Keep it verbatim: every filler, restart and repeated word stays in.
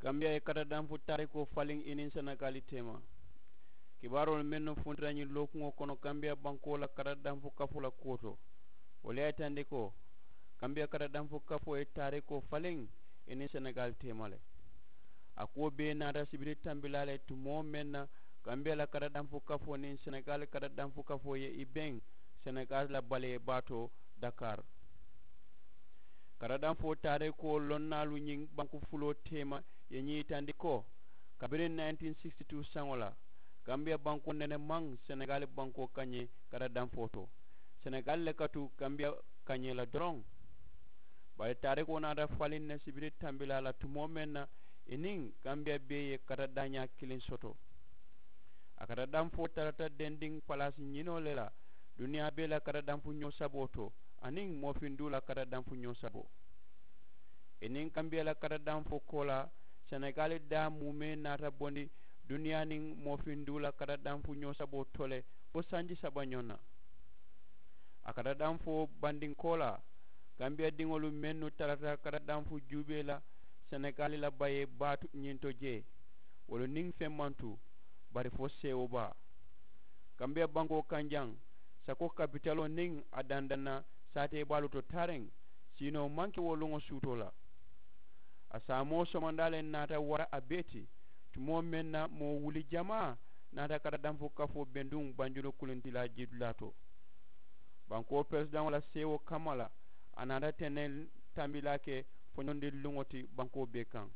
Kambiyaa ye katadanfu taarikoo faliŋ i niŋ senegaali teema. Kibaaroolu mennu funtita ñiŋ lookuŋo kono kambiyaa bankoo la katadanfu kafoo la kuwo to, wolu ye a yitandi ko kambiyaa katadanfu kafoo ye taarikoo faliŋ i niŋ senegaali teema le. A kuwo bee naata sibiri tambilaa le tumoo meŋ na kambiyaa la katadanfu kafoo niŋ senegaali katadanfu kafoo ye i beŋ senegaali la balee baa to. Dakaari katadanfoo taarikoo lonnaalu ñiŋ banku fuloo teema ye ñiŋ yitandi ko kabiriŋ nineteen sixty two saŋo la kambiyaa bankoo nene maŋ senegaali bankoo kañee katadanfoo to. Senegaali le ka tu kambiyaa kañee la doroŋ. Bari taarikoo naata faliŋ ne sibiri tambilaa la tumoo meŋ na i niŋ kambiyaa bee ye katadaañaa kiliŋ soto. A katadanfoo tarata dendiŋ palaasi ñinoo le la duniyaa bee la katadanfu ñoo saboo to aniŋ moofinduu la katadanfu ñoo saboo. I niŋ kambiyaa la katadanfoo koolaa senegaali daa muumee naata bondi duniyaa niŋ moofinduu la katadanfu ñoo saboo to le fo sanji saba ñoo na. A katadanfoo bandinkoolaa kambiyaa diŋolu mennu tarata katadanfu juubee la senegaali la bayee baa ñinto jee wolu niŋ feŋ maŋ tu bari fo seewo baa. Kambiyaa bankoo kaŋ jaŋ sako kapitaloo niŋ a dandaŋ na saatee baalu to taariŋ siinoo maŋ ke wo luŋo suutoo la. A saamoo somandaa le naata wara a bee ti tumoo meŋ na moo wuli jamaa naata katadanfu kafoo benduŋ banjulu kulintilaa jiidulaa to. Bankoo peresidaŋo la seewo kamma la a naata teneŋ tambilaa ke foñondiŋ luŋo ti bankoo bee kaŋ.